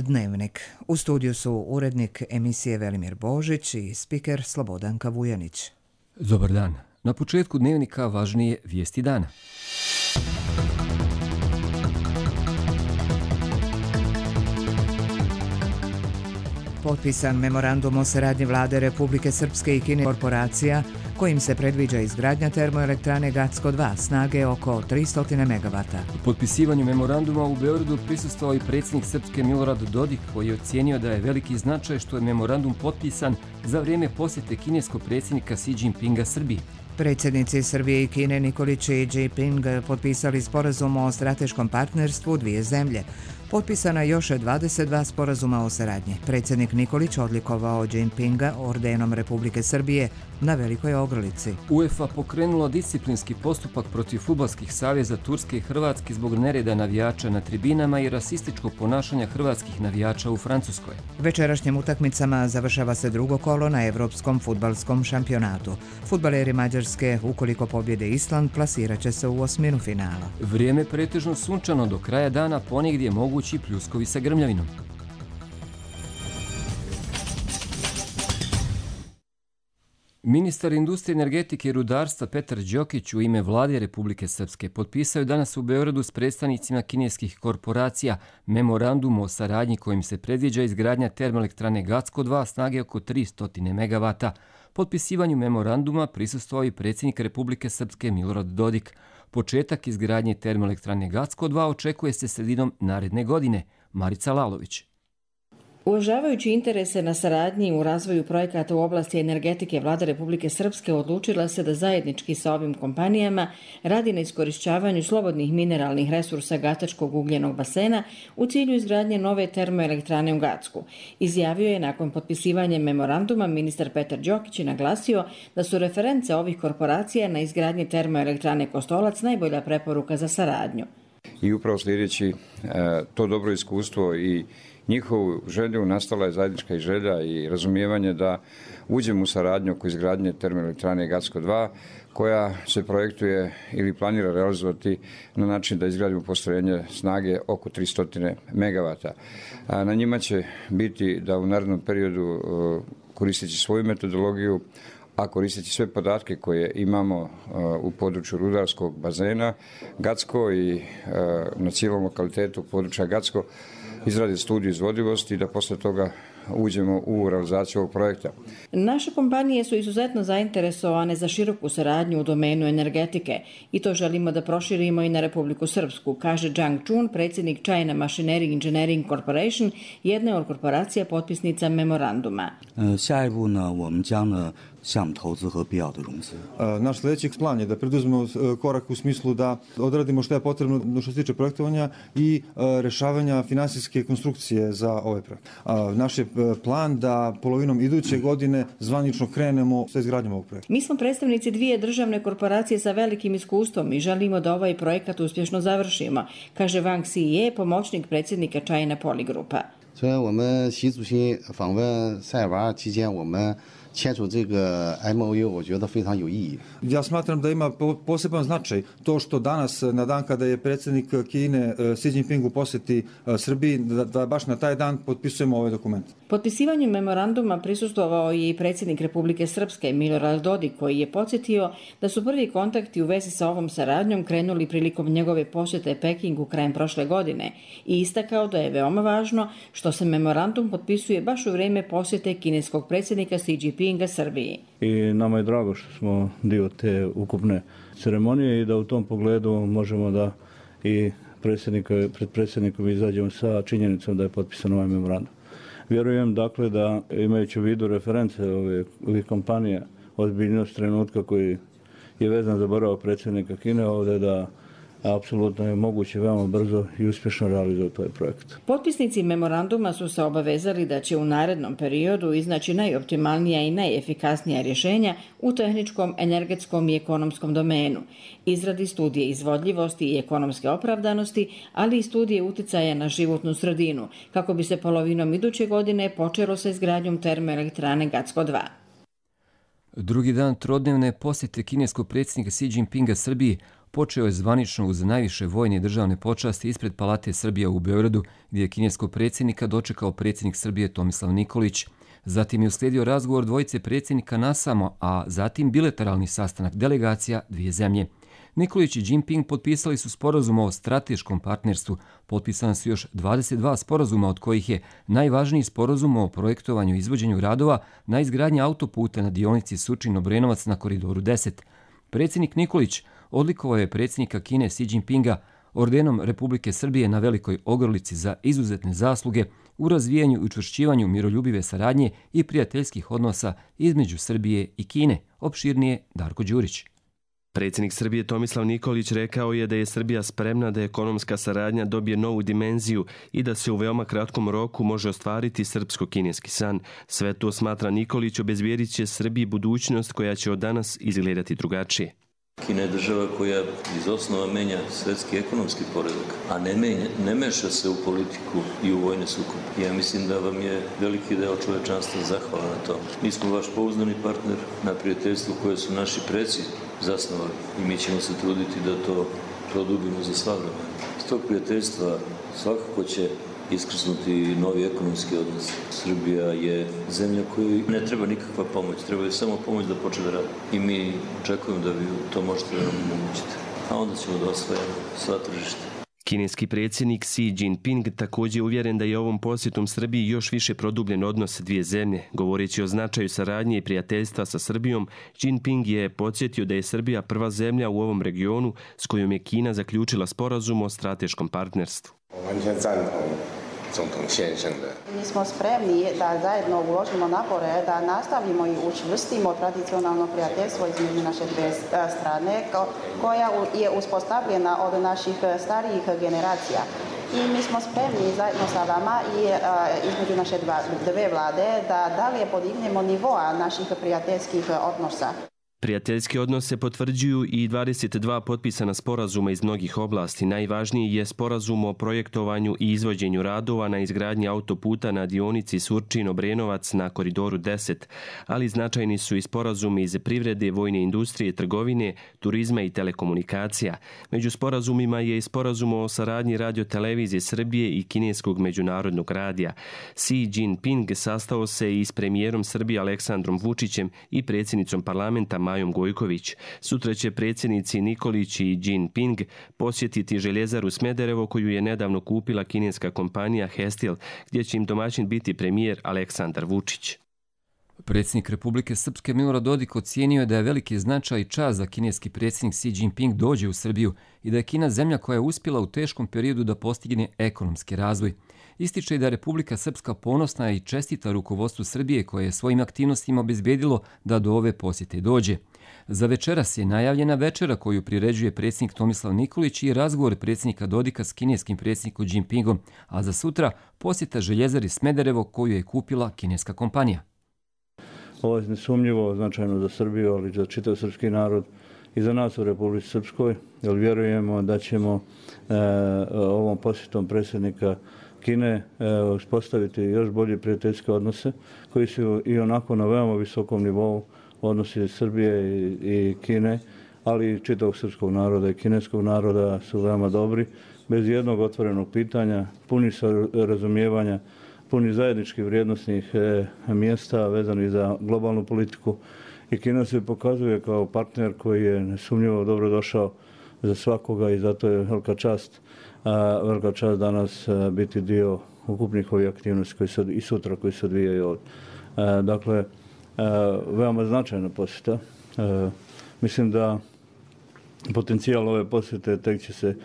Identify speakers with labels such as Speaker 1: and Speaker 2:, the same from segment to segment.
Speaker 1: Dnevnik. U studiju su urednik emisije Velimir Božić i spiker Slobodanka Vujanić.
Speaker 2: Dobar dan. Na početku Dnevnika važnije vijesti dana.
Speaker 1: Potpisan memorandum o saradnji Vlade Republike Srpske i Kine korporacija kojim se predviđa izgradnja termoelektrane Gacko 2 snage oko 300 MW.
Speaker 2: U potpisivanju memoranduma u Beogradu prisustvovao i predsjednik Srpske Milorad Dodik, koji je ocijenio da je veliki značaj što je memorandum potpisan za vrijeme posjete kineskog predsjednika Xi Jinpinga Srbiji.
Speaker 1: Predsjednici Srbije i Kine Nikolić i Jinping potpisali sporazum o strateškom partnerstvu dvije zemlje. Potpisana je još 22 sporazuma o saradnji. Predsjednik Nikolić odlikovao Jinpinga ordenom Republike Srbije na Velikoj Ogrlici.
Speaker 2: UEFA pokrenula disciplinski postupak protiv fudbalskih saveza Turske i Hrvatske zbog nereda navijača na tribinama i rasističkog ponašanja hrvatskih navijača u Francuskoj.
Speaker 1: Večerašnjim utakmicama završava se drugo kolo na Evropskom fudbalskom šampionatu. Fudbaleri Mađarske, ukoliko pobjede Island, plasirat će se u osminu finala.
Speaker 2: Vrijeme pretežno sunčano do kraja dana, ponegdje mogući pljuskovi sa grmljavinom. Ministar industrije, energetike i rudarstva Petar Đokić u ime Vlade Republike Srpske potpisao je danas u Beogradu s predstavnicima kineskih korporacija memorandum o saradnji kojim se predviđa izgradnja termoelektrane Gacko 2 snage oko 300 MW. Potpisivanju memoranduma prisustvovao i predsjednik Republike Srpske Milorad Dodik. Početak izgradnje termoelektrane Gacko 2 očekuje se sredinom naredne godine. Marica Lalović.
Speaker 3: Uvažavajući interese na saradnji u razvoju projekata u oblasti energetike, Vlada Republike Srpske odlučila se da zajednički sa ovim kompanijama radi na iskorišćavanju slobodnih mineralnih resursa Gatačkog ugljenog basena u cilju izgradnje nove termoelektrane u Gacku. Izjavio je nakon potpisivanja memoranduma ministar Petar Đokić i naglasio da su reference ovih korporacija na izgradnje termoelektrane Kostolac najbolja preporuka za saradnju.
Speaker 4: I upravo sljedeći to dobro iskustvo i njihovu želju nastala je zajednička i želja i razumijevanje da uđemo u saradnju oko izgradnje termoelektrane Gacko 2 koja se projektuje ili planira realizovati na način da izgradimo postrojenje snage oko 300 MW. Na njima će biti da u narednom periodu koristeći svoju metodologiju, a koristeći sve podatke koje imamo u području rudarskog bazena Gacko i na cijelom lokalitetu područja Gacko, izrade studiju izvodivosti i da posle toga uđemo u realizaciju ovog projekta.
Speaker 3: Naše kompanije su izuzetno zainteresovane za široku saradnju u domenu energetike i to želimo da proširimo i na Republiku Srpsku, kaže Zhang Chun, predsjednik China Machinery Engineering Corporation, jedne od korporacija potpisnica memoranduma.
Speaker 5: Naš sljedeći plan je da preduzmemo korak u smislu da odradimo što je potrebno što se tiče projektovanja i rešavanja finansijske konstrukcije za ovaj projekt. Naš je plan da polovinom iduće godine zvanično krenemo sa izgradnjom ovog projekta.
Speaker 3: Mi smo predstavnici dvije državne korporacije sa velikim iskustvom i želimo da ovaj projekat uspješno završimo, kaže Wang Xiye, pomoćnik predsjednika China Polygrupa.
Speaker 5: Ja smatram da ima poseban značaj to što danas, na dan kada je predsjednik Kine Xi Jinping u posjeti Srbiji, da baš na taj dan potpisujemo ovaj dokument.
Speaker 3: Potpisivanjem memoranduma prisustvovao je i predsjednik Republike Srpske Milorad Dodik, koji je podsjetio da su prvi kontakti u vezi sa ovom saradnjom krenuli prilikom njegove posjete Pekingu krajem prošle godine i istakao da je veoma važno što se memorandum potpisuje baš u vrijeme posjete kineskog predsjednika Xi Jinpinga Srbiji.
Speaker 6: I nama je drago što smo dio te ukupne ceremonije i da u tom pogledu možemo da i pred predsjednikom izađemo sa činjenicom da je potpisan ovaj memorandum. Vjerujem dakle da imajući u vidu reference ovih kompanija, ozbiljnost trenutka koji je vezan za boravak predsjednika Kine ovdje, da apsolutno je moguće veoma brzo i uspješno realizovati ovaj projekt.
Speaker 3: Potpisnici memoranduma su se obavezali da će u narednom periodu iznaći najoptimalnija i najefikasnija rješenja u tehničkom, energetskom i ekonomskom domenu, izradi studije izvodljivosti i ekonomske opravdanosti, ali i studije uticaja na životnu sredinu, kako bi se polovinom iduće godine počelo sa izgradnjom termoelektrane Gacko 2.
Speaker 2: Drugi dan trodnevne posjete kineskog predsjednika Xi Jinpinga Srbiji počeo je zvanično uz najviše vojne i državne počasti ispred Palate Srbija u Beogradu, gdje je kineskog predsjednika dočekao predsjednik Srbije Tomislav Nikolić. Zatim je uslijedio razgovor dvojice predsjednika nasamo, a zatim bilateralni sastanak delegacija dvije zemlje. Nikolić i Jinping potpisali su sporazum o strateškom partnerstvu. Potpisana su još 22 sporazuma, od kojih je najvažniji sporazum o projektovanju i izvođenju radova na izgradnji autoputa na dionici Surčin-Obrenovac na koridoru 10. Predsjednik Nikolić odlikovao je predsjednika Kine Xi Jinpinga ordenom Republike Srbije na Velikoj Ogrlici za izuzetne zasluge u razvijanju i učvršćivanju miroljubive saradnje i prijateljskih odnosa između Srbije i Kine. Opširnije Darko Đurić.
Speaker 7: Predsjednik Srbije Tomislav Nikolić rekao je da je Srbija spremna da ekonomska saradnja dobije novu dimenziju i da se u veoma kratkom roku može ostvariti srpsko-kineski san. Sve to, smatra Nikolić, obezbijedit će Srbiji budućnost koja će od danas izgledati drugačije.
Speaker 8: Kina je država koja iz osnova menja svetski ekonomski poredak, a ne meša se u politiku i u vojne sukobe. Ja mislim da vam je veliki deo čovečanstva zahvalan na to. Mi smo vaš pouzdani partner na prijateljstvu koje su naši preci zasnovali i mi ćemo se truditi da to produbimo za sva vremena. S tog prijateljstva svakako će iskrsnuti novi ekonomski odnos. Srbija je zemlja kojoj ne treba nikakva pomoć, treba je samo pomoć da počne da radi. I mi očekujemo da vi to možete da nam omogućite. A onda ćemo da osvajamo sva tržišta.
Speaker 7: Kineski predsjednik Xi Jinping također je uvjeren da je ovom posjetom Srbiji još više produbljen odnos dvije zemlje. Govoreći o značaju saradnje i prijateljstva sa Srbijom, Jinping je podsjetio da je Srbija prva zemlja u ovom regionu s kojom je Kina zaključila sporazum o strateškom partnerstvu.
Speaker 9: Mi smo spremni da zajedno uložimo napore, da nastavimo i učvrstimo tradicionalno prijateljstvo između naše dvije strane, koja je uspostavljena od naših starijih generacija. I mi smo spremni zajedno sa vama i između naše dve vlade da dalje podignemo nivoa naših prijateljskih odnosa.
Speaker 7: Prijateljske odnose potvrđuju i 22 potpisana sporazuma iz mnogih oblasti. Najvažniji je sporazum o projektovanju i izvođenju radova na izgradnji autoputa na dionici Surčin-Obrenovac na koridoru 10, ali značajni su i sporazumi iz privrede, vojne industrije, trgovine, turizma i telekomunikacija. Među sporazumima je i sporazum o saradnji radiotelevizije Srbije i kineskog međunarodnog radija. Xi Jinping sastao se i s premijerom Srbije Aleksandrom Vučićem i predsjednicom parlamenta Majom Gojković. Sutra će predsjednici Nikolić i Jinping posjetiti željezaru Smederevo koju je nedavno kupila kineska kompanija Hestil, gdje će im domaćin biti premijer Aleksandar Vučić.
Speaker 2: Predsjednik Republike Srpske Milorad Dodik ocijenio je da je veliki značaj i čast da kineski predsjednik Xi Jinping dođe u Srbiju i da je Kina zemlja koja je uspjela u teškom periodu da postigne ekonomski razvoj. Ističe i da je Republika Srpska ponosna i čestita rukovodstvu Srbije koje je svojim aktivnostima obezbedilo da do ove posjete dođe. Za večeras je najavljena večera koju priređuje predsjednik Tomislav Nikolić i razgovor predsjednika Dodika s kineskim predsjednikom Jinpingom, a za sutra posjeta željezari Smederevo koju je kupila kineska kompanija.
Speaker 6: Ovo je nesumnjivo značajno za Srbiju, ali i za čitav srpski narod i za nas u Republici Srpskoj, jer vjerujemo da ćemo ovom posjetom predsjednika Kine uspostaviti još bolje prijateljske odnose koji su i onako na veoma visokom nivou odnosi Srbije i Kine, ali i čitavog srpskog naroda i kineskog naroda su veoma dobri, bez jednog otvorenog pitanja, puni razumijevanja, puni zajedničkih vrijednosnih mjesta vezani za globalnu politiku. I Kina se pokazuje kao partner koji je nesumnjivo dobro došao za svakoga i zato je velika čast danas biti dio ukupnih ovih aktivnosti i sutra koji se odvijaju ovdje. Dakle, veoma značajna posjeta. Mislim da potencijal ove posjete tek će se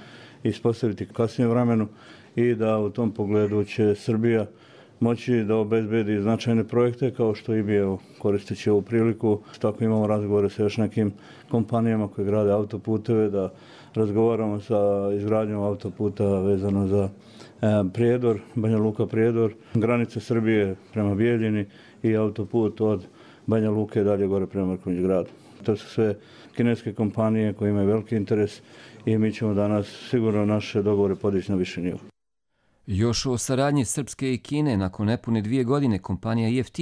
Speaker 6: ispostaviti kasnije vremenu i da u tom pogledu će Srbija moći da obezbedi značajne projekte kao što i bio koristeći ovu priliku. Tako imamo razgovore sa još nekim kompanijama koje grade autoputeve, da razgovaramo sa izgradnjom autoputa vezano za Prijedor, Banja Luka Prijedor, granice Srbije prema Bijeljini i autoput od Banja Luke dalje gore prema Mrkonjić gradu. To su sve kineske kompanije koje imaju veliki interes i mi ćemo danas sigurno naše dogovore podići na više nivo.
Speaker 2: Još o saradnji Srpske i Kine nakon nepune 2 godine kompanija EFT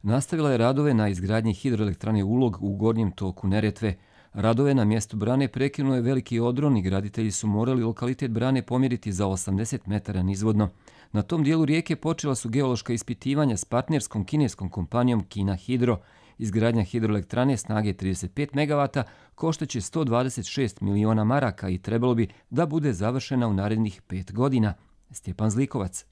Speaker 2: nastavila je radove na izgradnji hidroelektrane Ulog u gornjem toku Neretve. Radove na mjestu brane prekinuo je veliki odron i graditelji su morali lokalitet brane pomjeriti za 80 metara nizvodno. Na tom dijelu rijeke počela su geološka ispitivanja s partnerskom kineskom kompanijom Kina Hidro. Izgradnja hidroelektrane snage 35 MW koštaće 126 miliona maraka i trebalo bi da bude završena u narednih 5 godina. Stjepan Zlikovac.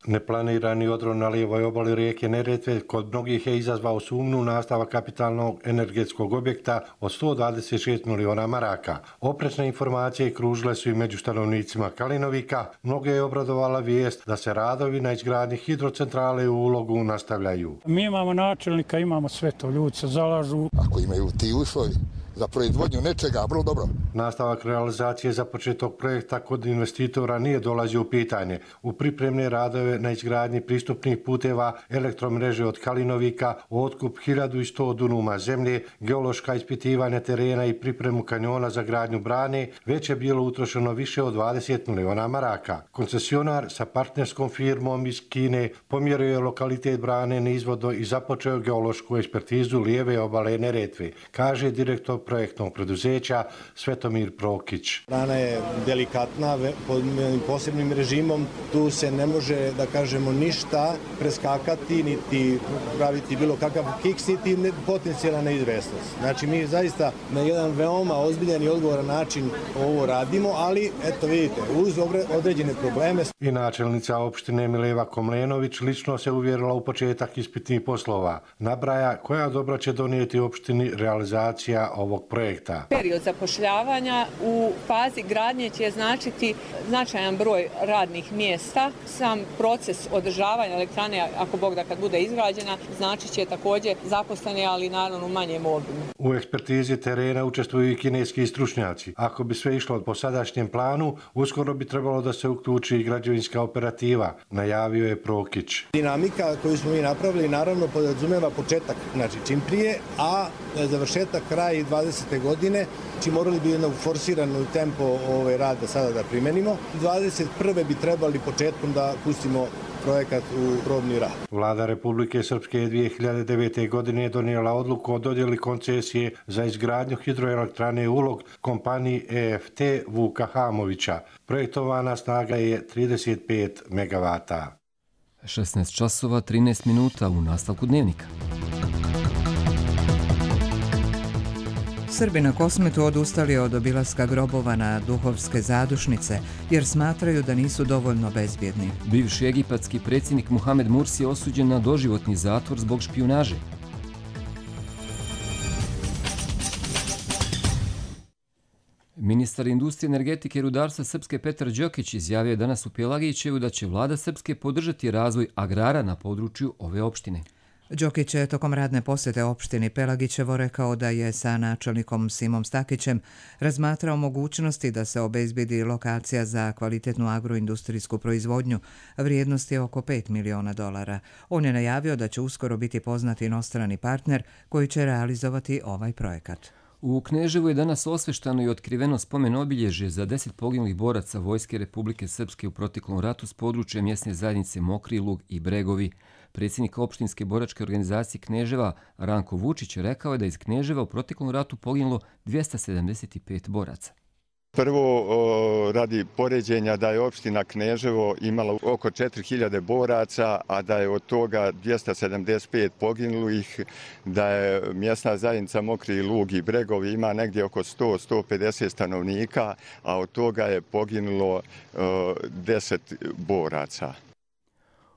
Speaker 10: Neplanirani odron na lijevoj obali rijeke Neretve kod mnogih je izazvao sumnju nastavak kapitalnog energetskog objekta od 126 miliona maraka. Oprečne informacije kružile su i među stanovnicima Kalinovika. Mnoge je obradovala vijest da se radovi na izgradnji hidrocentrale u Ulogu nastavljaju.
Speaker 11: Mi imamo načelnika, imamo sve to, ljudi se zalažu.
Speaker 12: Ako imaju ti uslovi za proizvodnju nečega, vrlo dobro.
Speaker 10: Nastavak realizacije započetog projekta kod investitora nije dolazio u pitanje. U pripremne radove na izgradnji pristupnih puteva, elektromreže od Kalinovika, otkup 1100 dunuma zemlje, geološka ispitivanja terena i pripremu kanjona za gradnju brane, već je bilo utrošeno više od 20 miliona maraka. Koncesionar sa partnerskom firmom iz Kine pomjerio je lokalitet brane nizvodno i započeo geološku ekspertizu lijeve obale Neretve, kaže direktor projektnog preduzeća Svetomir Prokić.
Speaker 13: Brana je delikatna, pod posebnim režimom, tu se ne može, da kažemo, ništa preskakati, niti praviti bilo kakav kiks, niti potencijalna neizvesnost. Znači, mi zaista na jedan veoma ozbiljan i odgovoran način ovo radimo, ali, eto vidite, uz određene probleme.
Speaker 10: I načelnica opštine Mileva Komlenović lično se uvjerila u početak ispitnih poslova. Nabraja koja dobro će donijeti opštini realizacija ovog projekta.
Speaker 14: Period zapošljavanja u fazi gradnje će značiti značajan broj radnih mjesta. Sam proces održavanja elektrane, ako Bog da kad bude izgrađena, značit će također zaposleni, ali naravno u manjem obimu.
Speaker 10: U ekspertizi terena učestvuju i kineski stručnjaci. Ako bi sve išlo po sadašnjem planu, uskoro bi trebalo da se uključi i građevinska operativa, najavio je Prokić.
Speaker 13: Dinamika koju smo mi napravili naravno podrazumeva početak, znači čim prije, a završetak kraj 20. godine, či morali bi jednog forsiranu tempo rada sada da primenimo. 21. bi trebali početkom da pustimo projekat u probni rad.
Speaker 10: Vlada Republike Srpske je 2009. godine donijela odluku o dodjeli koncesije za izgradnju hidroelektrane Ulog kompaniji EFT Vuka Hamovića. Projektovana snaga je 35 MW.
Speaker 2: 16 časova 13 minuta u nastavku dnevnika.
Speaker 1: Srbi na Kosmetu odustali od obilaska grobova na duhovske zadušnice jer smatraju da nisu dovoljno bezbjedni.
Speaker 2: Bivši egipatski predsjednik Muhamed Mursi je osuđen na doživotni zatvor zbog špijunaže. Ministar industrije, energetike i rudarstva Srpske Petar Đokić izjavio je danas u Pjelagićevu da će vlada Srpske podržati razvoj agrara na području ove opštine.
Speaker 1: Đokić je tokom radne posjete opštini Pelagićevo rekao da je sa načelnikom Simom Stakićem razmatrao mogućnosti da se obezbedi lokacija za kvalitetnu agroindustrijsku proizvodnju. Vrijednost je oko $5 miliona. On je najavio da će uskoro biti poznati inostrani partner koji će realizovati ovaj projekat.
Speaker 2: U Kneževu je danas osveštano i otkriveno spomen obilježje za 10 poginulih boraca Vojske Republike Srpske u proteklom ratu s područja mjesne zajednice Mokri Lug i Bregovi. Predsjednik opštinske boračke organizacije Kneževa Ranko Vučić rekao je da iz Kneževa u proteklom ratu poginulo 275 boraca.
Speaker 15: Prvo, radi poređenja da je opština Kneževo imala oko 4000 boraca, a da je od toga 275 poginulih, da je mjesna zajednica Mokri Lug i Bregovi ima negdje oko 100-150 stanovnika, a od toga je poginulo 10 boraca.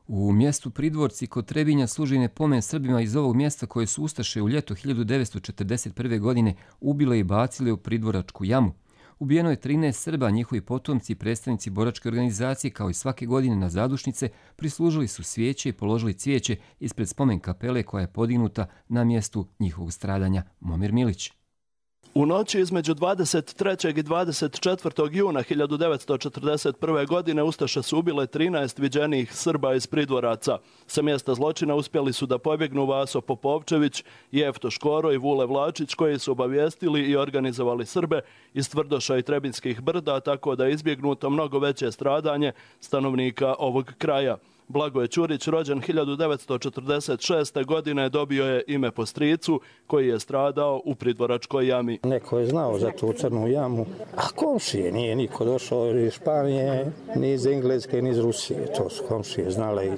Speaker 2: U mjestu Pridvorci kod Trebinja služi pomen Srbima iz ovog mjesta koje su ustaše u ljeto 1941. godine ubile i bacile u Pridvoračku jamu. Ubijeno je 13 Srba, njihovi potomci i predstavnici boračke organizacije kao i svake godine na zadušnice prislužili su svijeće i položili cvijeće ispred spomen kapele koja je podignuta na mjestu njihovog stradanja. Momir Milić.
Speaker 16: U noći između 23. i 24. juna 1941. godine ustaše su ubile 13 viđenih Srba iz Pridvoraca. Sa mjesta zločina uspjeli su da pobjegnu Vaso Popovčević, Jefto Škoro i Vule Vlačić, koji su obavijestili i organizovali Srbe iz Tvrdoša i Trebinskih brda, tako da je izbjegnuto mnogo veće stradanje stanovnika ovog kraja. Blagoje Ćurić, rođen 1946. godine, dobio je ime po stricu koji je stradao u Pridvoračkoj jami.
Speaker 17: Neko je znao za tu crnu jamu, a komšije nije niko došao iz Španije, ni iz Engleske, ni iz Rusije. To su komšije znale i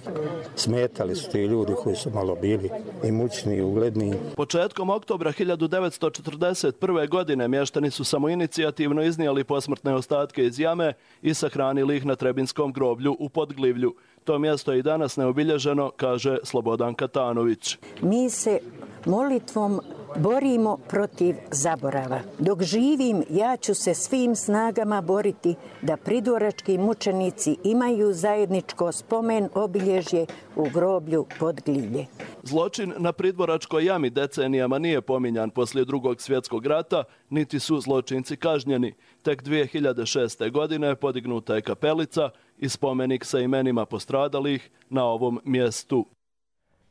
Speaker 17: smetali su ti ljudi koji su malo bili imućni i ugledni.
Speaker 16: Početkom oktobra 1941. godine mještani su samoinicijativno iznijeli posmrtne ostatke iz jame i sahranili ih na Trebinskom groblju u Podglivlju. To mjesto je i danas neobilježeno, kaže Slobodan Katanović.
Speaker 18: Mi se molitvom borimo protiv zaborava. Dok živim, ja ću se svim snagama boriti da pridvorački mučenici imaju zajedničko spomen obilježje u groblju Podglivlje.
Speaker 16: Zločin na Pridvoračkoj jami decenijama nije pominjan poslije Drugog svjetskog rata, niti su zločinci kažnjeni. Tek 2006. godine podignuta je kapelica i spomenik sa imenima postradalih na ovom mjestu.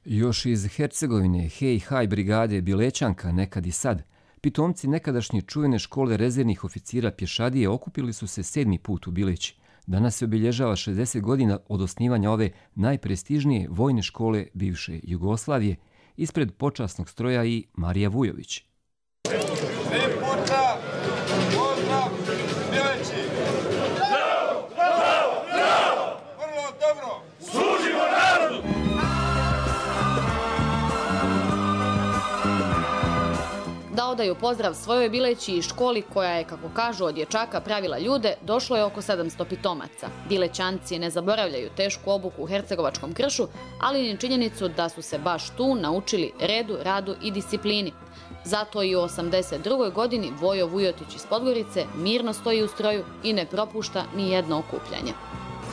Speaker 2: Još iz Hercegovine, Hej Haj brigade Bilećanka, nekad i sad, pitomci nekadašnje čuvene škole rezervnih oficira pješadije okupili su se 7. put u Bileći. Danas se obilježava 60 godina od osnivanja ove najprestižnije vojne škole bivše Jugoslavije, ispred počasnog stroja i Marija Vujović.
Speaker 19: Da odaju pozdrav svojoj Bileći i školi koja je, kako kažu, od dječaka pravila ljude, došlo je oko 700 pitomaca. Bilećanci ne zaboravljaju tešku obuku u hercegovačkom kršu, ali i činjenicu da su se baš tu naučili redu, radu i disciplini. Zato i u 82. godini Vojo Vujotić iz Podgorice mirno stoji u stroju i ne propušta ni jedno okupljanje.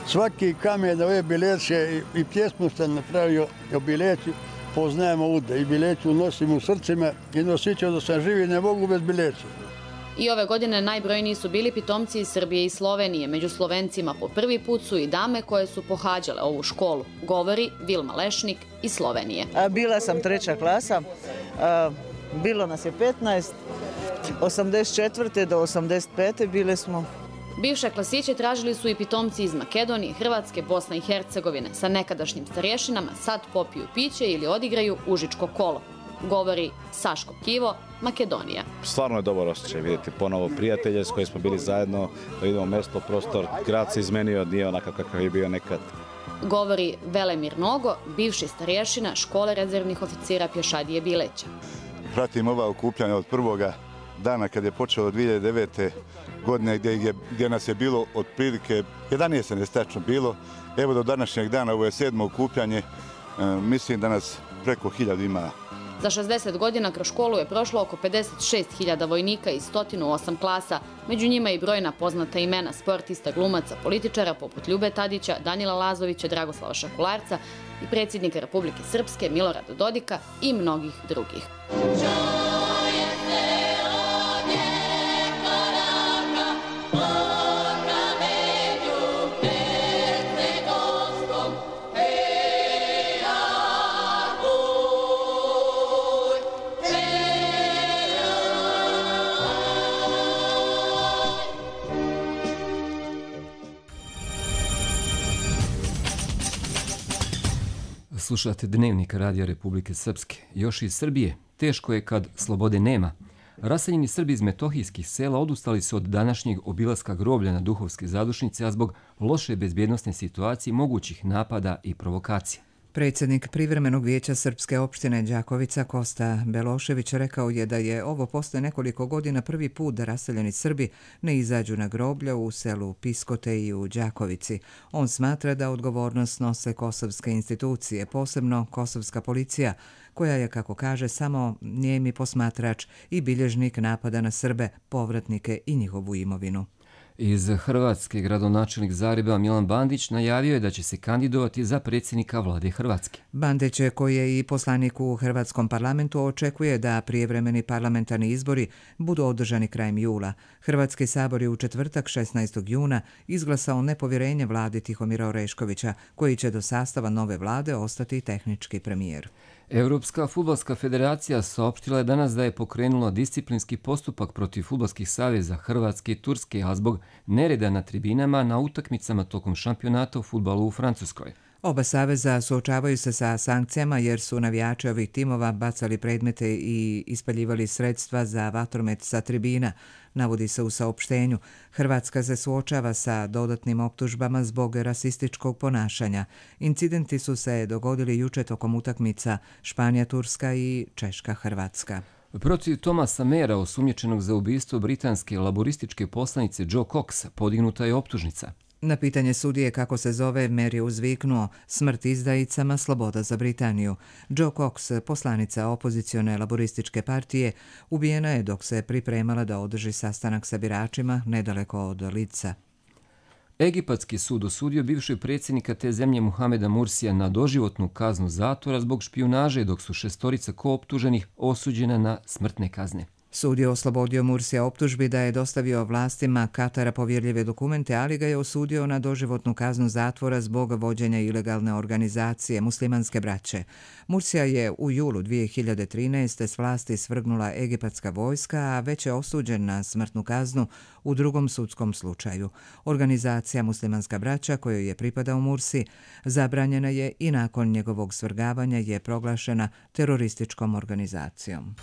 Speaker 20: Svaki kamen ove Bileće i pjesmu sam napravio o Bileći. Poznajemo ude i Bileću nosim u srcima i nosit ću da sam živi, ne mogu bez Bileća.
Speaker 19: I ove godine najbrojniji su bili pitomci iz Srbije i Slovenije. Među Slovencima po prvi put su i dame koje su pohađale ovu školu, govori Vilma Lešnik iz Slovenije.
Speaker 21: Bila sam 3. klasa, bilo nas je 15, 84. do 85. bile smo.
Speaker 19: Bivše klasiće tražili su i pitomci iz Makedonije, Hrvatske, Bosne i Hercegovine. Sa nekadašnjim starješinama sad popiju piće ili odigraju užičko kolo. Govori Saško Kivo, Makedonija.
Speaker 22: Stvarno je dobar osjećaj vidjeti ponovo prijatelje s kojim smo bili zajedno, da vidimo mjesto, prostor, grad se izmenio, nije onakav kakav je bio nekad.
Speaker 19: Govori Velemir Nogo, bivši starješina škole rezervnih oficira pješadije Bileća.
Speaker 23: Pratim ova okupljanja od prvoga dana kad je počelo 2009. godine gdje nas je bilo otprilike 11 nestačno bilo. Evo do današnjeg dana, ovo je 7. okupljanje, mislim da nas preko 1000 ima.
Speaker 19: Za 60 godina kroz školu je prošlo oko 56.000 vojnika iz 108 klasa, među njima i brojna poznata imena sportista, glumaca, političara poput Ljube Tadića, Danila Lazovića, Dragoslava Šakularca i predsjednika Republike Srpske Milorada Dodika i mnogih drugih.
Speaker 2: Slušate Dnevnik Radija Republike Srpske. Još iz Srbije, teško je kad slobode nema. Raseljeni Srbi iz metohijskih sela odustali su od današnjeg obilaska groblja na Duhovske zadušnice, a zbog loše bezbjednosne situacije, mogućih napada i provokacija.
Speaker 1: Predsjednik Privremenog vijeća Srpske opštine Đakovica Kosta Belošević rekao je da je ovo posle nekoliko godina prvi put da raseljeni Srbi ne izađu na groblja u selu Piskote i u Đakovici. On smatra da odgovornost nose kosovske institucije, posebno kosovska policija, koja je, kako kaže, samo nijemi posmatrač i bilježnik napada na Srbe, povratnike i njihovu imovinu.
Speaker 2: Iz Hrvatske gradonačelnik Zagreba Milan Bandić najavio je da će se kandidovati za predsjednika vlade Hrvatske.
Speaker 1: Bandić, koji je i poslanik u Hrvatskom parlamentu, očekuje da prijevremeni parlamentarni izbori budu održani krajem jula. Hrvatski sabor je u četvrtak 16. juna izglasao nepovjerenje vladi Tihomira Oreškovića, koji će do sastava nove vlade ostati tehnički premijer.
Speaker 2: Europska fudbalska federacija saopštila je danas da je pokrenula disciplinski postupak protiv fudbalskih saveza Hrvatske i Turske, a zbog nereda na tribinama na utakmicama tokom šampionata u fudbalu u Francuskoj.
Speaker 1: Oba saveza suočavaju se sa sankcijama jer su navijači ovih timova bacali predmete i ispaljivali sredstva za vatromet sa tribina, navodi se u saopštenju. Hrvatska se suočava sa dodatnim optužbama zbog rasističkog ponašanja. Incidenti su se dogodili juče tokom utakmica Španija-Turska i Češka-Hrvatska.
Speaker 2: Protiv Thomasa Mayera, osumnjičenog za ubistvo britanske laborističke poslanice Joe Cox, podignuta je optužnica.
Speaker 1: Na pitanje sudije kako se zove, Mayer je uzviknuo: smrt izdajicama, sloboda za Britaniju. Joe Cox, poslanica opozicione laborističke partije, ubijena je dok se pripremala da održi sastanak sa biračima nedaleko od Lidsa.
Speaker 2: Egipatski sud osudio bivšeg predsjednika te zemlje Muhameda Mursija na doživotnu kaznu zatvora zbog špijunaže, dok su 6 kooptuženih osuđena na smrtne kazne.
Speaker 1: Sud je oslobodio Mursija optužbi da je dostavio vlastima Katara povjerljive dokumente, ali ga je osudio na doživotnu kaznu zatvora zbog vođenja ilegalne organizacije Muslimanske braće. Mursija je u julu 2013. s vlasti svrgnula egipatska vojska, a već je osuđen na smrtnu kaznu u drugom sudskom slučaju. Organizacija Muslimanska braća, kojoj je pripadao Mursi, zabranjena je i nakon njegovog svrgavanja je proglašena terorističkom organizacijom.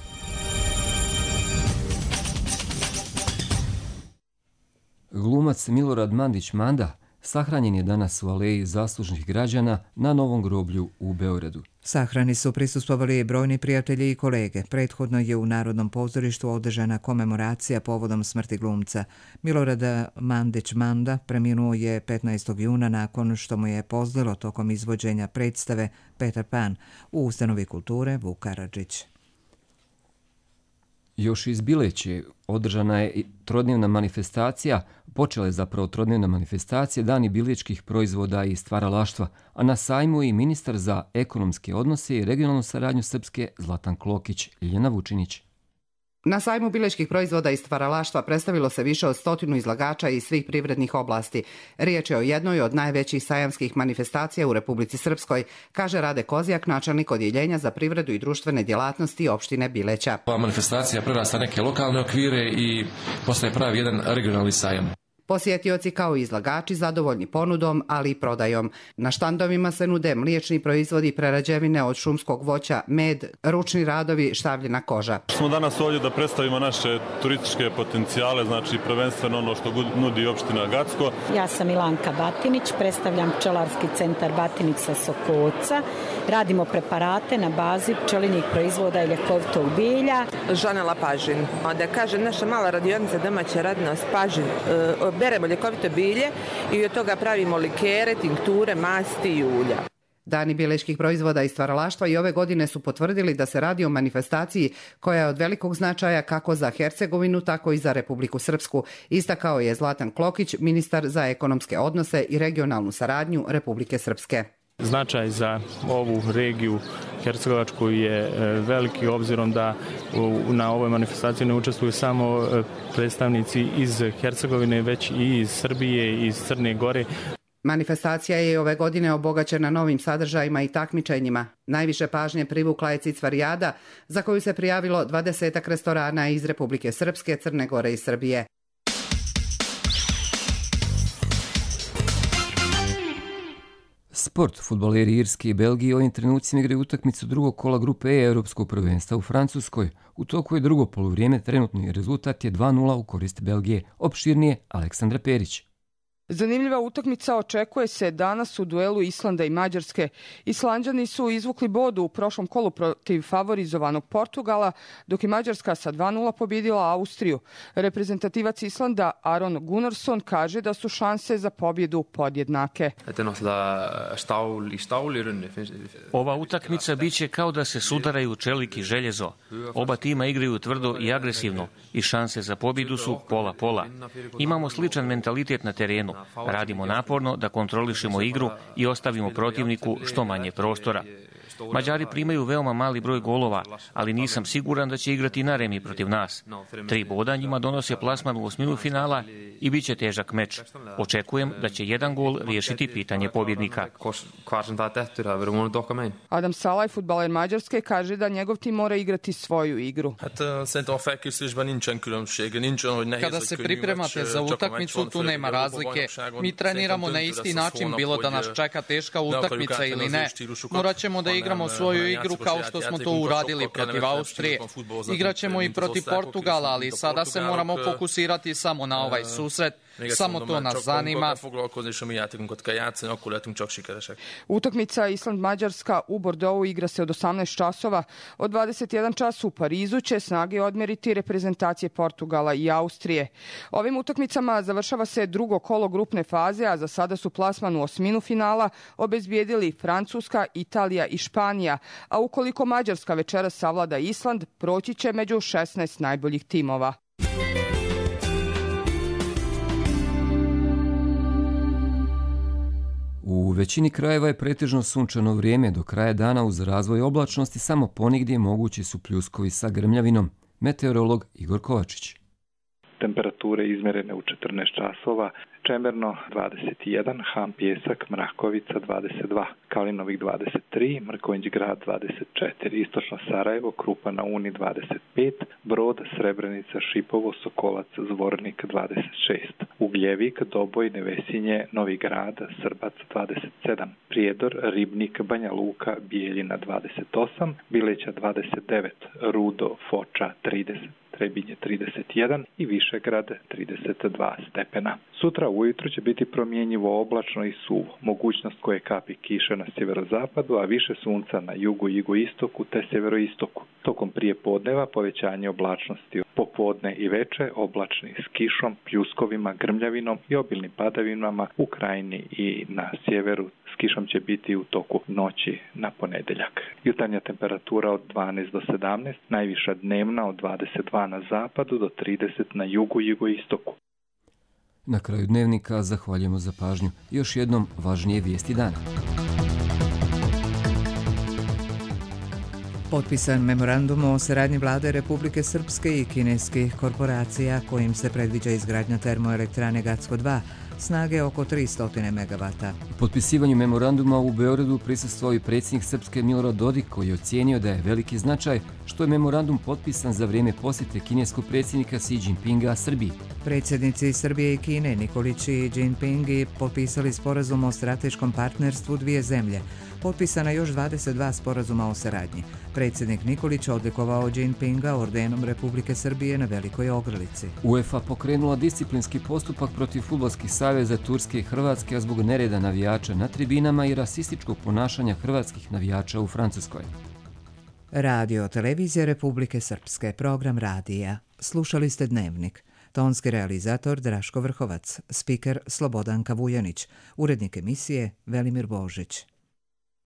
Speaker 2: Glumac Milorad Mandić Manda sahranjen je danas u aleji zaslužnih građana na Novom groblju u Beogradu.
Speaker 1: Sahrani su prisustvovali brojni prijatelji i kolege. Prethodno je u Narodnom pozorištu održana komemoracija povodom smrti glumca. Milorad Mandić Manda preminuo je 15. juna nakon što mu je pozlilo tokom izvođenja predstave Peter Pan u ustanovi kulture Vuk Karadžić.
Speaker 2: Još iz Bileće održana je trodnevna manifestacija, počela je zapravo trodnevna manifestacija Dani bilečkih proizvoda i stvaralaštva, a na sajmu i ministar za ekonomske odnose i regionalnu saradnju Srpske Zlatan Klokić, Ljiljana Vučinić.
Speaker 3: Na sajmu bilečkih proizvoda i stvaralaštva predstavilo se više od 100 izlagača iz svih privrednih oblasti. Riječ je o jednoj od najvećih sajamskih manifestacija u Republici Srpskoj, kaže Rade Kozijak, načelnik odjeljenja za privredu i društvene djelatnosti opštine Bileća.
Speaker 4: Ova manifestacija prerasta neke lokalne okvire i postaje pravi jedan regionalni sajam.
Speaker 3: Posjetioci kao i izlagači zadovoljni ponudom, ali i prodajom. Na štandovima se nude mliječni proizvodi, prerađevine od šumskog voća, med, ručni radovi, štavljena koža.
Speaker 5: Smo danas ovdje da predstavimo naše turističke potencijale, znači prvenstveno ono što nudi opština Gacko.
Speaker 24: Ja sam Ilanka Batinić, predstavljam pčelarski centar Batinić sa Sokoca. Radimo preparate na bazi pčelinjih proizvoda i ljekovitog bilja.
Speaker 25: Žanela Pažin. Da kaže naša mala radionica domaća radnost Pažin. Beremo ljekovito bilje i od toga pravimo likere, tinkture, masti i ulja.
Speaker 3: Dani bilečkih proizvoda i stvaralaštva i ove godine su potvrdili da se radi o manifestaciji koja je od velikog značaja kako za Hercegovinu, tako i za Republiku Srpsku, istakao je Zlatan Klokić, ministar za ekonomske odnose i regionalnu saradnju Republike Srpske.
Speaker 26: Značaj za ovu regiju Hercegovačku je veliki, obzirom da na ovoj manifestaciji ne učestvuju samo predstavnici iz Hercegovine, već i iz Srbije i iz Crne Gore.
Speaker 3: Manifestacija je ove godine obogaćena novim sadržajima i takmičenjima. Najviše pažnje privukla je Cicvarijada, za koju se prijavilo 20 restorana iz Republike Srpske, Crne Gore i Srbije.
Speaker 2: Sport. Fudbaleri Irske i Belgije ovim trenucima igraju utakmicu drugog kola grupe E Europskog prvenstva u Francuskoj. U toku je drugo poluvrijeme, trenutni rezultat je 2:0 u korist Belgije. Opširnije Aleksandra Perić.
Speaker 27: Zanimljiva utakmica očekuje se danas u duelu Islanda i Mađarske. Islanđani su izvukli bod u prošlom kolu protiv favorizovanog Portugala, dok je Mađarska sa 2:0 pobjedila Austriju. Reprezentativac Islanda Aron Gunnarsson kaže da su šanse za pobjedu podjednake.
Speaker 28: Ova utakmica biće kao da se sudaraju čelik i željezo. Oba tima igraju tvrdo i agresivno i šanse za pobjedu su pola-pola. Imamo sličan mentalitet na terenu. Radimo naporno da kontrolišemo igru i ostavimo protivniku što manje prostora. Mađari primaju veoma mali broj golova, ali nisam siguran da će igrati na remi protiv nas. 3 boda njima donose plasman u osminu finala i bit će težak meč. Očekujem da će jedan gol riješiti pitanje pobjednika.
Speaker 27: Adam Salaj, fudbaler Mađarske, kaže da njegov tim mora igrati svoju igru.
Speaker 29: Kada se pripremate za utakmicu, tu nema razlike.
Speaker 6: Mi treniramo na isti način, bilo da nas čeka teška utakmica ili ne. Morat ćemo da igramo svoju igru kao što smo to uradili protiv Austrije. Igraćemo i protiv Portugala, ali sada se moramo fokusirati samo na ovaj susret. Samo to nas zanima.
Speaker 27: Utakmica Island-Mađarska u Bordeauxu igra se od 18 časova. Od 21 čas u Parizu će snage odmjeriti reprezentacije Portugala i Austrije. Ovim utakmicama završava se drugo kolo grupne faze, a za sada su plasman u osminu finala obezbijedili Francuska, Italija i Španija, a ukoliko Mađarska večeras savlada Island, proći će među 16 najboljih timova.
Speaker 2: U većini krajeva je pretežno sunčano vrijeme, do kraja dana uz razvoj oblačnosti samo ponigdje mogući su pljuskovi sa grmljavinom. Meteorolog Igor Kovačić.
Speaker 7: Temperature izmjerene u 14 časova, Čemerno 21, Ham Pjesak, Mrakovica 22, Kalinovik 23, Mrkonjić Grad 24, Istočno Sarajevo, Krupa na Uni 25, Brod, Srebrenica, Šipovo, Sokolac, Zvornik 26, Ugljevik, Doboj, Nevesinje, Novi Grad, Srbac 27, Prijedor, Ribnik, Banja Luka, Bijeljina 28, Bileća 29, Rudo, Foča 30, Trebinje 31 i Višegrad 32 stepena. Sutra ujutro će biti promjenjivo oblačno i suvo, mogućnost koje kapi kiše na sjeverozapadu, a više sunca na jugu i jugoistoku te sjeveroistoku. Tokom prije podneva povećanje oblačnosti, popodne i veče oblačni s kišom, pljuskovima, grmljavinom i obilnim padavinama u krajini i na sjeveru. S kišom će biti u toku noći na ponedjeljak. Jutarnja temperatura od 12 do 17, najviša dnevna od 22 na zapadu do 30 na jugu i jugoistoku.
Speaker 2: Na kraju dnevnika zahvaljujemo za pažnju. Još jednom važnije vijesti dana.
Speaker 1: Potpisan memorandum o saradnji vlade Republike Srpske i kineskih korporacija kojim se predviđa izgradnja termoelektrane Gacko 2, snage oko 300 MW.
Speaker 2: U potpisivanju memoranduma u Beogradu prisustvovao i predsjednik Srpske Milorad Dodik, koji je ocijenio da je veliki značaj što je memorandum potpisan za vrijeme posjete kineskog predsjednika Xi Jinpinga Srbiji.
Speaker 1: Predsjednici Srbije i Kine Nikolić i Jinping potpisali sporazum o strateškom partnerstvu dvije zemlje. Potpisana još 22 sporazuma o saradnji. Predsjednik Nikolić odlikovao Jinpinga ordenom Republike Srbije na Velikoj Ogrlici.
Speaker 2: UEFA pokrenula disciplinski postupak protiv fudbalskih saveza Turske i Hrvatske, a zbog nereda navijača na tribinama i rasističkog ponašanja hrvatskih navijača u Francuskoj.
Speaker 1: Radio Televizija Republike Srpske, program radija. Slušali ste Dnevnik. Tonski realizator Draško Vrhovac, spiker Slobodanka Vujanić, urednik emisije Velimir Božić.